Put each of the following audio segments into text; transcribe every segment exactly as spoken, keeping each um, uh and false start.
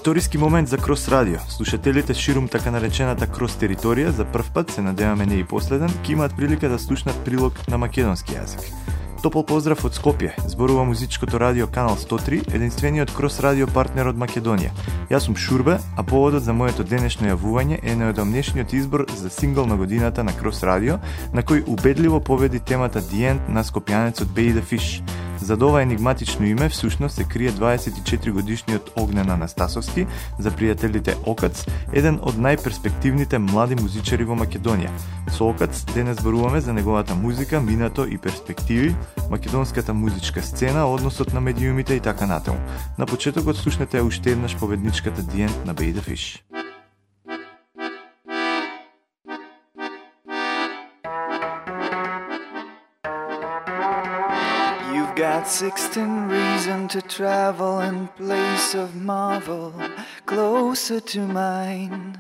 Историски момент за Крос Радио. Слушателите ширум така наречената Крос територија за прв пат, се надеваме не и последен, ќе имаат прилика да слушнат прилог на македонски јазик. Топол поздрав од Скопје, зборува музичкото радио Канал сто три, единствениот Крос радио партнер од Македонија. Јас сум Шурбе, а поводот за моето денешно јавување е најодамнешниот избор за сингл на годината на Крос радио, на кој убедливо победи темата The End на скопјанецот Bay the Fish. Зад ова енигматично име всушност се крие дваесет и четири годишниот Огнен Анастасовски, за пријателите Окац, еден од најперспективните млади музичари во Македонија. Со Окац денес зборуваме за неговата музика, минато и перспективи, македонската музичка сцена, односот на медиумите и така натаму. На почетокот слушнете уште еднаш победничката The End на Bay the Fish. Got sixteen reason to travel in place of marvel closer to mine.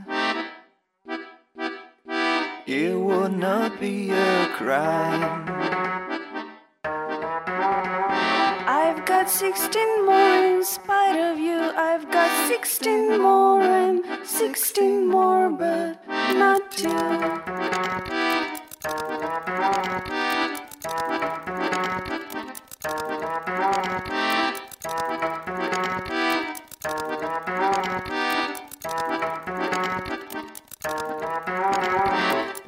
It would not be a crime. I've got sixteen more in spite of you. I've got sixteen more and sixteen more, but not two.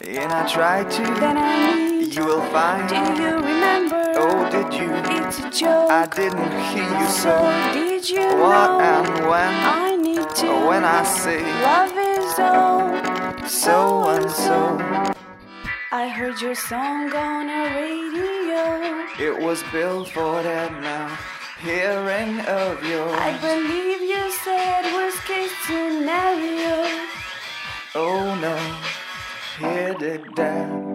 And I tried to, Then I need, you will find. do you remember? Oh, did you? It's a joke. I didn't hear you, So so did you what know? and when? I need to. When I say Love is all. so and so, I heard your song on a radio. it was built for that now. Hearing of yours. I believe you said worst case scenario. Oh no, hear it down.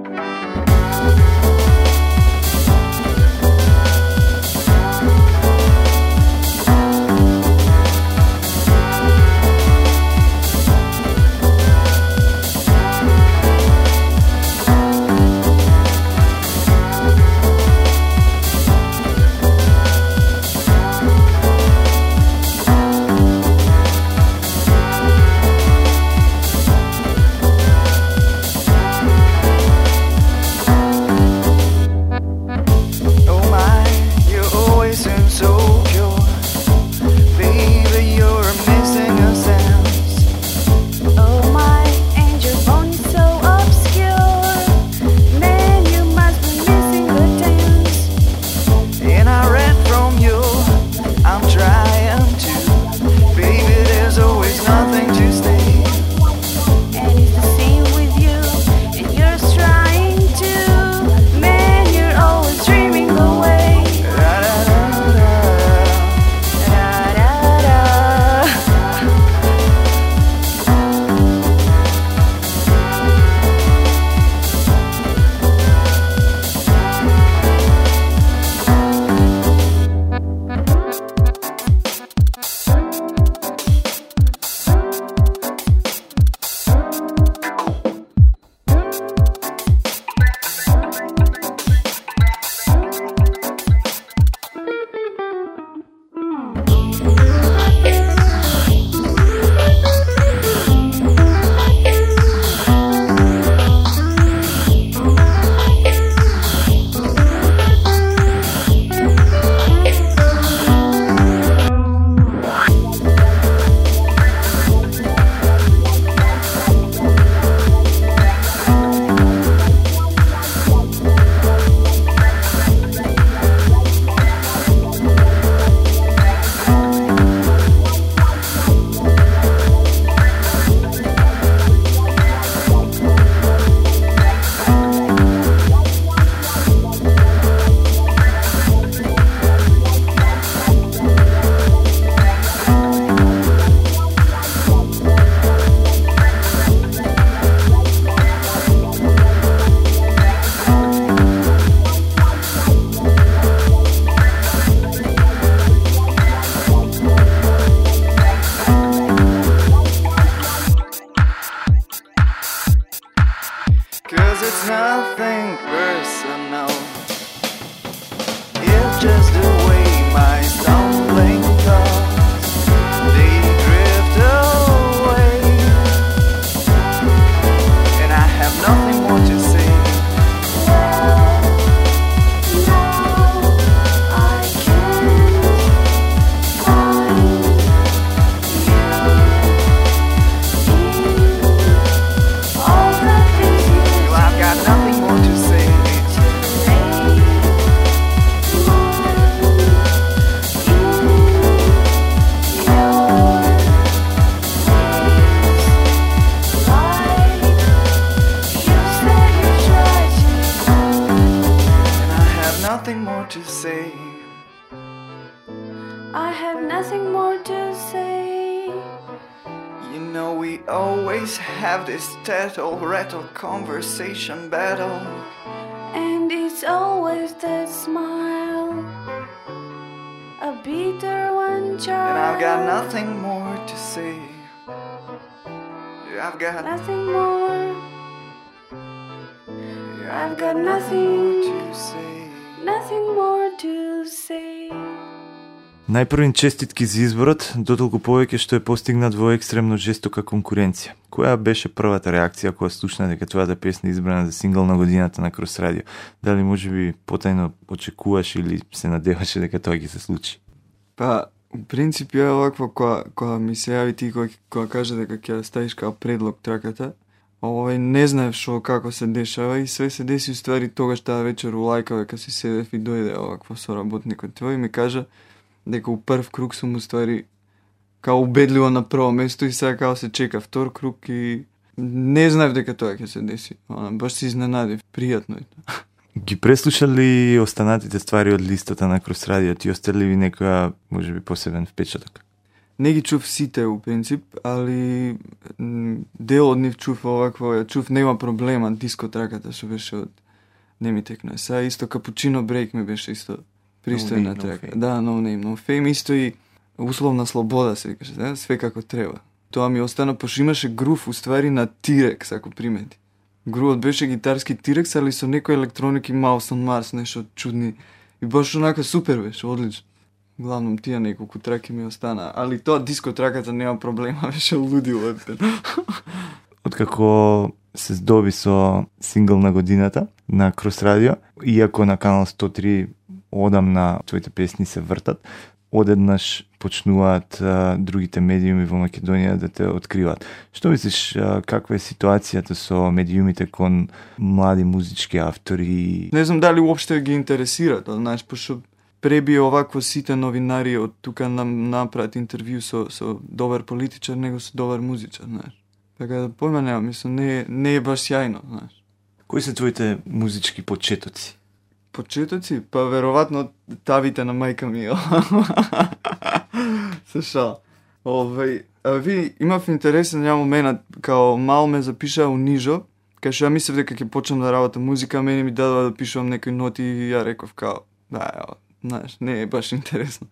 just the way my stumbling thoughts, they drift more to say. I have nothing more to say. You know we always have this tattle, rattle, conversation battle. And it's always that smile, a bitter one child. And I've got nothing more to say. I've got nothing more. I've got nothing to say. Nothing more to say. Најпрвин честитки за изборот, дотолку повеќе што е постигнат во екстремно жестока конкуренција. Која беше првата реакција кога слушна дека твојата песна избрана за сингл на годината на Крос Радио? Дали можеби потајно очекуваш или се надеваше дека тоа ќе се случи? Па, у принцип е овакво кога, кога ми се јави ти кога, кога каже дека ќе ставиш као предлог траката, овој не знаев шо како се дешава и све се деси уствари тогаш таа вечер у лајка дека си седев и дојде овакво соработникот твој и ми кажа дека у прв круг сум уствари као убедливо на прво место и сега као се чека втор круг и не знаев дека тоа ќе се деси. Она, баш се изненадив, пријатно е тоа. Ги преслушали останатите ствари од листата на Крос Радио, ти остали ви некоја, можеби, посебен впечаток? Не ги чув сите у принцип, али дел од нив чув овакво, ја чув нема проблема, диско траката што беше од Не ми текна. Сега исто Капучино Брейк ми беше исто пристојна no трака. No да, No Name, No Fame, исто и условна слобода се каже, да? Све како треба. Тоа ми остана, пошто имаше грув уствари на T-Rex, ако примети. Грувот беше гитарски T-Rex, али со некој електроники Mouse on Mars, нешто чудни. И баш онака супер беше, одлично. Главном тие неколку траки ми остана, али тоа диско траката нема проблема, беше лудило. Откако се здоби со сингл на годината на Крос Радио, иако на канал сто три одамна твоите песни се вртат, одеднаш почнуваат а, другите медиуми во Македонија да те откриваат. Што мислиш, а, каква е ситуацијата со медиумите кон млади музички автори? Не знам дали уопште ги интересира тоа, знаеш, пошто пребие овакво сите новинари од тука нам направат интервју со со добар политичар, него со добар музичар, знаеш. Така да појма нема, мислам, не, не е баш сјајно, знаеш. Кои се твоите музички почетоци? Почетоци? Па веројатно тавите на мајка ми. Се шал. Овај, а ви имав интересен ја момент, као мал ме запишаа у Нижо, кај што ја мислев дека ќе почнам да работам музика, мене ми дадоа да пишувам некои ноти и ја реков као, да, ја, знаеш, не е баш интересно.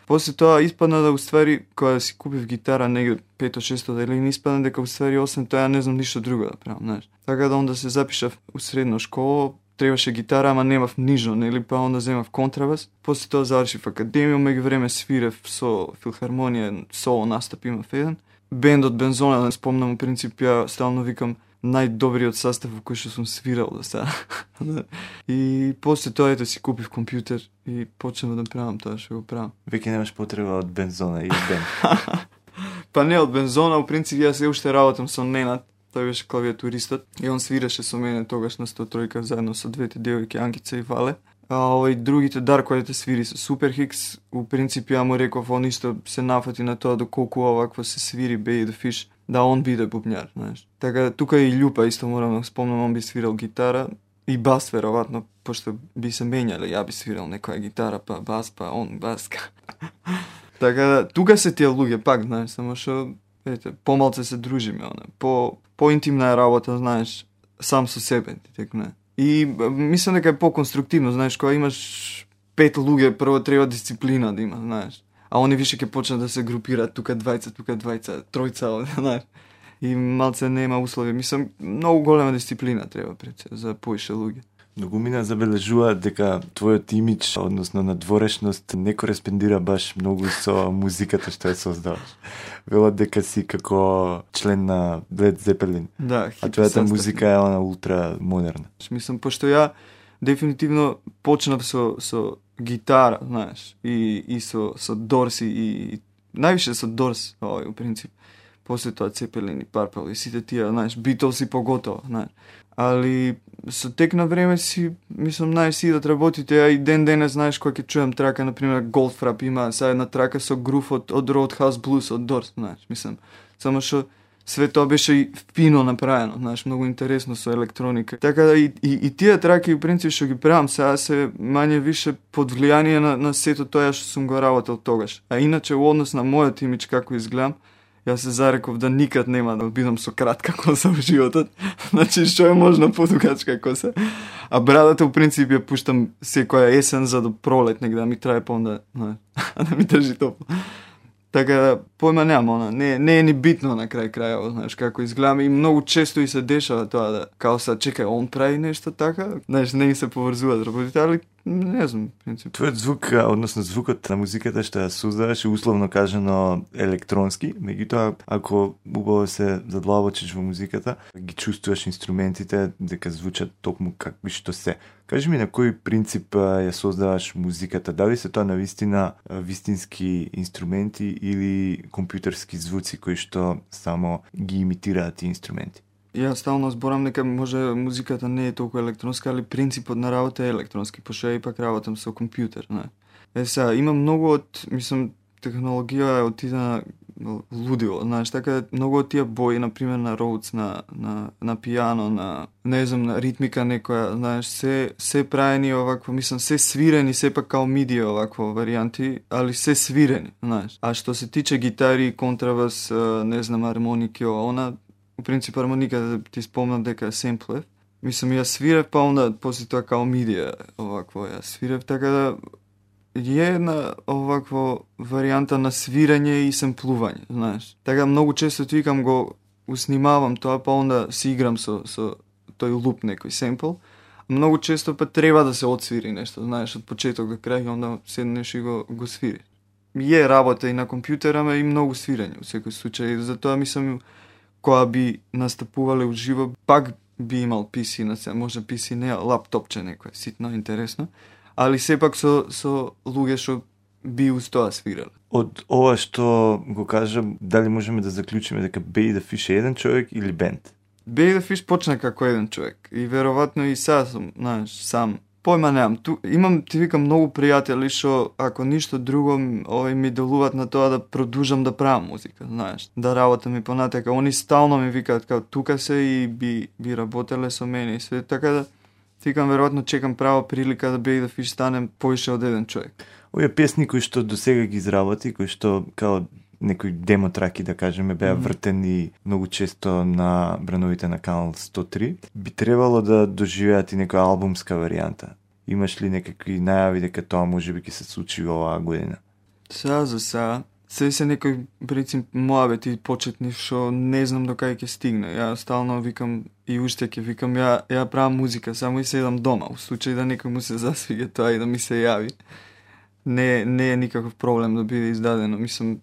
После тоа испадна да уствари, кога си купив гитара негде пето-шесто делини, испадна дека уствари освен тоа ја не знам ништо друго да правам, знаеш. Така да онда се запишав у средна школа, требаше гитара, ама немав нижно, нели, па онда земав контрабас. После тоа завршив академија, меѓу време свирев со филхармонија, соло настап имав еден. Бендот Бензона, не спомнам, у принцип ја стално викам најдобриот состав во кој што сум свирал до сега. И после тоа ете си купив компјутер и почнав да правам тоа што го правам. Веќе немаш потреба од Бензона и бенд. Па не од Бензона, у принцип јас се уште работам со Ненад, тој беше клавиатуристот и он свираше со мене тогаш на сто три заедно со двете девојки Ангица и Вале. А овој другите Даркојете свири со Супер Хикс, у принцип ја му реков, он исто се нафати на тоа доколку овакво се свири Bay the Fish, да он биде бубњар, знаеш. Така тука и Љупа исто морам да спомнам, он би свирал гитара и бас веројатно, пошто би се менјале, ја би свирал некоја гитара, па бас, па он баска. Така да тука се тие луѓе пак, знаеш, само што ете, помалце се дружиме, она. По поинтимна е работа, знаеш, сам со себе, ти текне. И мислам дека е по-конструктивно, знаеш, кога имаш пет луѓе, прво треба дисциплина да има, знаеш. А они више ќе почнат да се групираат, тука двајца, тука двајца, тројца, знаеш. И малце нема услови. Мислам, многу голема дисциплина треба пред се за поише луѓе. Многумина забележуваат дека твојот имидж, односно надворешност, не кореспондира баш многу со музиката што ја создаваш. Велат дека си како член на Led Zeppelin. Да, а твојата музика е она ултра модерна. Мислам, пошто ја дефинитивно почнав со со гитара, знаеш, и и со со Дорси и, и највише со Дорс, овој у принцип. После тоа Цепелин и Парпал и сите тие, знаеш, Битлс и поготово, знаеш. Али со тек на време си, мислам, знаеш, си да работите, а и ден денес, знаеш, кога ќе чуем трака, например, Goldfrapp има сега една трака со грув од, од Roadhouse Blues, од Дорс, знаеш, мислам. Само што све тоа беше и фино направено, знаеш, многу интересно со електроника. Така да и, и, и тие траки, в принцип, што ги правам сега се мање више под влијание на, на сето тоа што сум го работел тогаш. А иначе, во однос на мојот имидж како изгледам, јас се зареков да никад нема да бидам со кратка коса во животот. Значи, што е можно подугачка коса. А брадата, в принцип, ја пуштам секоја есен за до пролет, нека да ми трае па онда, да ми држи топло. Така да, појма немам, она, не, не е ни битно на крај крајот, знаеш, како изгледам и многу често и се дешава тоа да, као са, чекај, он прави нешто така, знаеш, не се поврзуваат работите, али не знам, принцип. Твојот звук, односно звукот на музиката што ја создаваш, условно кажано електронски, меѓутоа, ако убаво се задлабочиш во музиката, ги чувствуваш инструментите дека звучат токму какви што се. Кажи ми на кој принцип ја создаваш музиката? Дали се тоа навистина вистински инструменти или компјутерски звуци кои што само ги имитираат тие инструменти? Ја стално зборам дека може музиката не е толку електронска, али принципот на работа е електронски, пошто ја ипак работам со компјутер, не. Е сега, има многу од, мислам, технологија е отида на лудило, знаеш, така многу од тие бои, например на Rhodes, на на на пијано, на не знам, на ритмика некоја, знаеш, се се правени овакво, мислам, се свирени, сепак као миди овакво варијанти, али се свирени, знаеш. А што се тиче гитари, контрабас, не знам, армоники, она у принцип армоника да ти спомнам дека е семплев. Мислам, ја свирев, па онда после тоа као мидија овакво ја свирев, така да е една овакво варијанта на свирање и семплување, знаеш. Така многу често ти викам го уснимавам тоа, па онда си играм со со тој луп некој семпл. Многу често па треба да се отсвири нешто, знаеш, од почеток до крај, онда седнеш и го го свириш. Е работа и на компјутера, ма и многу свирање во секој случај, затоа мислам кога би настапувале уживо, пак би имал пи си на се, може пи си не, лаптопче некој, ситно интересно, али сепак со со луѓе што би уз тоа свирале. Од ова што го кажам, дали можеме да заклучиме дека Baby the Fish е еден човек или бенд? Baby the Fish почна како еден човек и веројатно и сега сум, знаеш, сам. Појма немам. Ту имам, ти викам, многу пријатели што ако ништо друго овој ми делуваат на тоа да продолжам да правам музика, знаеш, да работам и понатака. Они стално ми викаат како тука се и би би работеле со мене и све, така да ти викам, веројатно чекам права прилика да Baby the Fish стане поише од еден човек. Овие песни кои што досега ги изработи, кои што као некои демо траки, да кажеме, беа mm-hmm. вртени многу често на брановите на канал сто три, би требало да доживеат и некоја албумска варијанта. Имаш ли некакви најави дека тоа може би ќе се случи оваа година? Сега за сега, се се некој принцип моабети почетни што не знам до кај ќе стигне. Ја стално викам и уште ќе викам, ја ја правам музика, само и седам дома, во случај да некој му се засвига тоа и да ми се јави. Не не е никаков проблем да биде издадено. Мислам,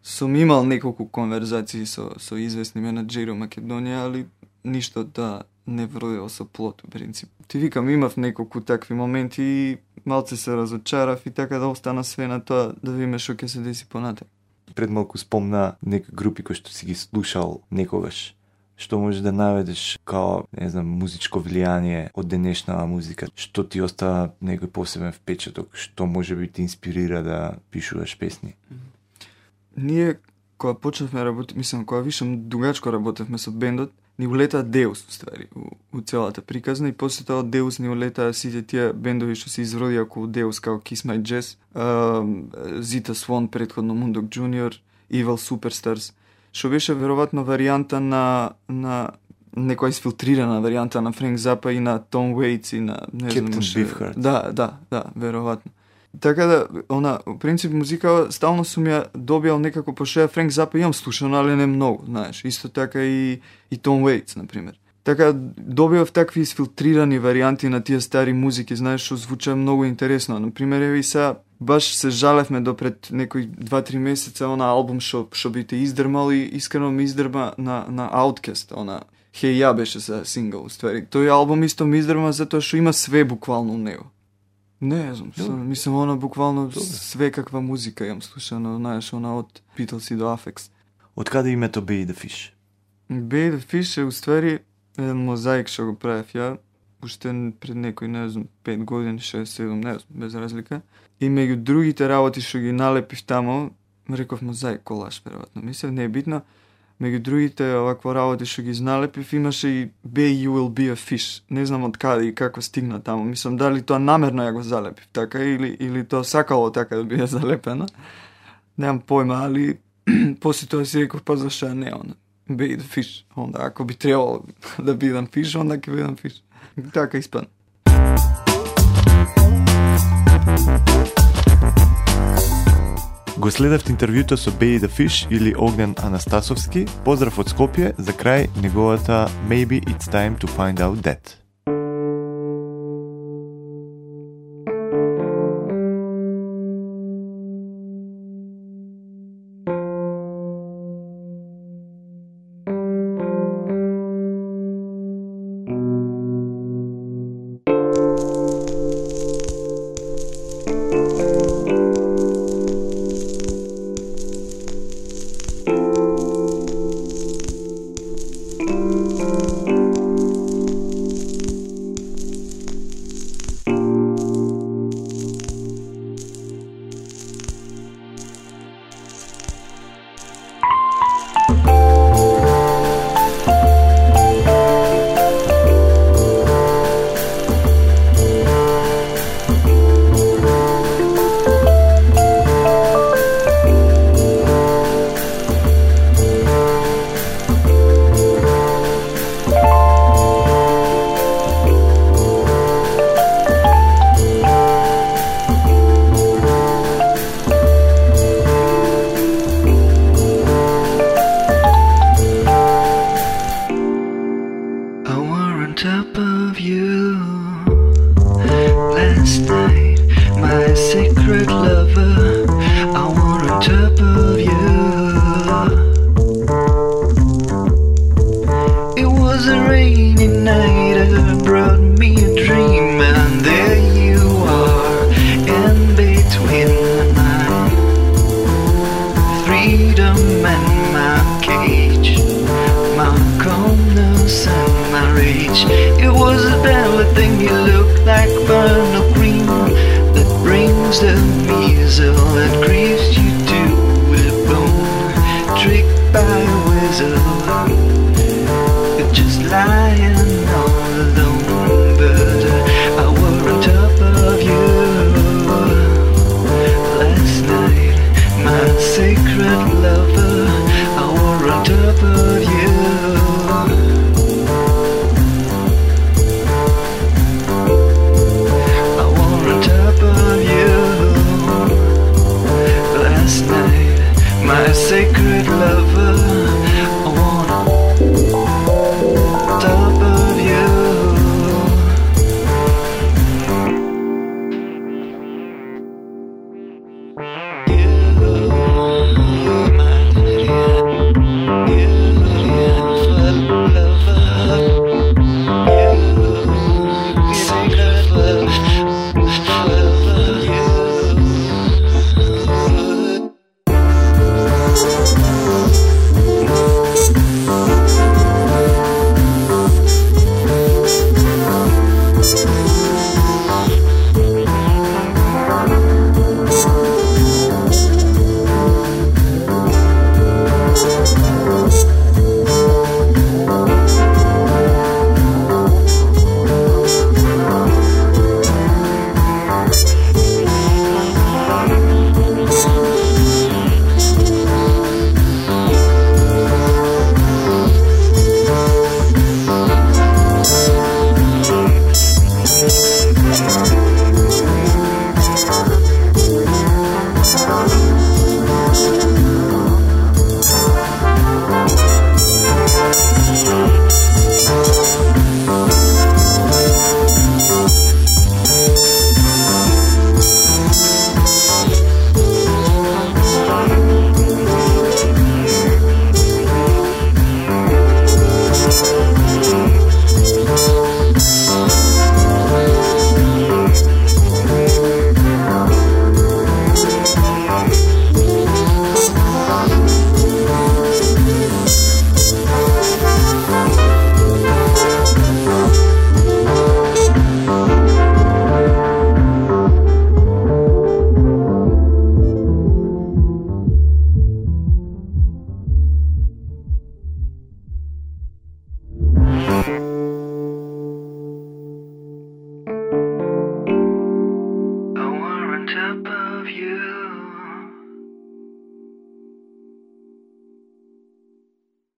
сум имал неколку конверзации со со известни менаџери во Македонија, али ништо да не вродило со плод, во принцип. Ти викам, имав неколку такви моменти и малце се разочарав и така да остана све на тоа да видиме што ќе се деси понатак. Пред малку спомна некои групи кои што си ги слушал некогаш. Што можеш да наведеш као, не знам, музичко влијание од денешна музика? Што ти остава некој посебен впечаток? Што може би ти инспирира да пишуваш песни? Ние, кога почнавме работи, мислам, кога вишам дугачко работевме со бендот, ни улетаа Деус, уствари, у, у целата приказна и после тоа Деус ни улетаа сите тие бендови што се изродија околу Деус, као Kiss My Jazz, uh, Zita Swan, предходно Mundok Junior, Evil Superstars, што беше веројатно варијанта на на некоја изфилтрирана варијанта на Френк Запа и на Том Уейтс и на не знам Captain Beefheart. Да, да, да, веројатно. Така да, она, во принцип музика стално сум ја добијал некако, пошто ја Френк Запа имам слушано, али не многу, знаеш. Исто така и и Том Уейтс, например. Така добивав такви изфилтрирани варијанти на тие стари музики, знаеш, што звуча многу интересно. Например, еви сега баш се жалевме до пред некои два-три месеца она албум што што би те издрмал и искрено ми издрма на на Outkast, она Хеј ја беше за сингл, уствари. Тој албум исто ми издрма затоа што има све буквално у него. Не знам, со, мислам, она буквално Добре. Све каква музика јам слушано, знаеш, она од Beatles и до Aphex. Од каде името Baby the Fish? Baby the Fish е уствари еден мозаик што го правев ја, уште пред некој, не знам, пет години, шест-седум, не знам, без разлика. И меѓу другите работи што ги налепив тамо, реков мозаик колаж, веројатно, мислев, не е битно, Меѓу другите овакво работи што ги изналепив, имаше и Bay You Will Be a Fish. Не знам од каде и како стигна таму. Мислам дали тоа намерно ја го залепив така или или тоа сакало така да биде залепено. Немам појма, али после тоа си реков па зашто не он. Bay the Fish. Онда ако би требало да бидам фиш, онда ќе бидам фиш. Така испадна. Го следевте интервјуто со Bay the Fish или Огнен Анастасовски. Поздрав од Скопје, за крај неговата Maybe It's Time to Find Out That. The measle that grieves you to the bone, tricked by